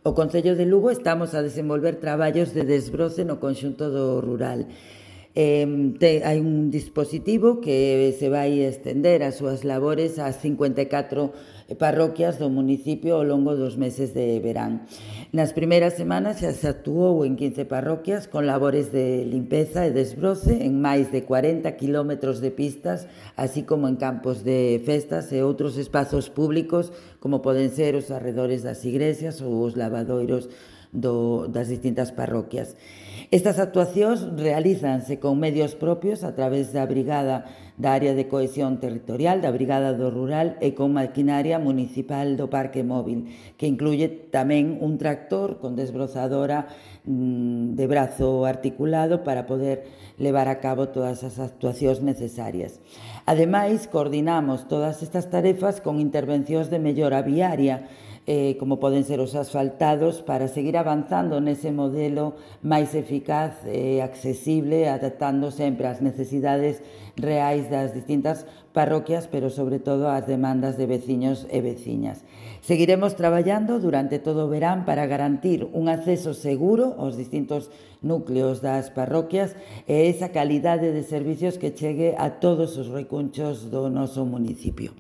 O Concello de Lugo estamos a desenvolver traballos de desbroce no conxunto do rural. Hai un dispositivo que se vai estender as súas labores ás 54 parroquias do municipio ao longo dos meses de verán. Nas primeiras semanas xa se actuou en 15 parroquias con labores de limpeza e desbroce en máis de 40 kilómetros de pistas, así como en campos de festas e outros espazos públicos como poden ser os arredores das igrexas ou os lavadoiros das distintas parroquias. Estas actuacións realízanse con medios propios a través da Brigada da Área de Cohesión Territorial, da Brigada do Rural e con maquinaria municipal do Parque Móvil, que incluye tamén un tractor con desbrozadora de brazo articulado para poder levar a cabo todas as actuacións necesarias. Ademais, coordinamos todas estas tarefas con intervencións de mellora viaria, como poden ser os asfaltados, para seguir avanzando nese modelo máis eficaz e accesible, adaptando sempre ás necesidades reais das distintas parroquias, pero sobre todo ás demandas de veciños e veciñas. Seguiremos traballando durante todo o verán para garantir un acceso seguro aos distintos núcleos das parroquias e esa calidade de servicios que chegue a todos os recunchos do noso municipio.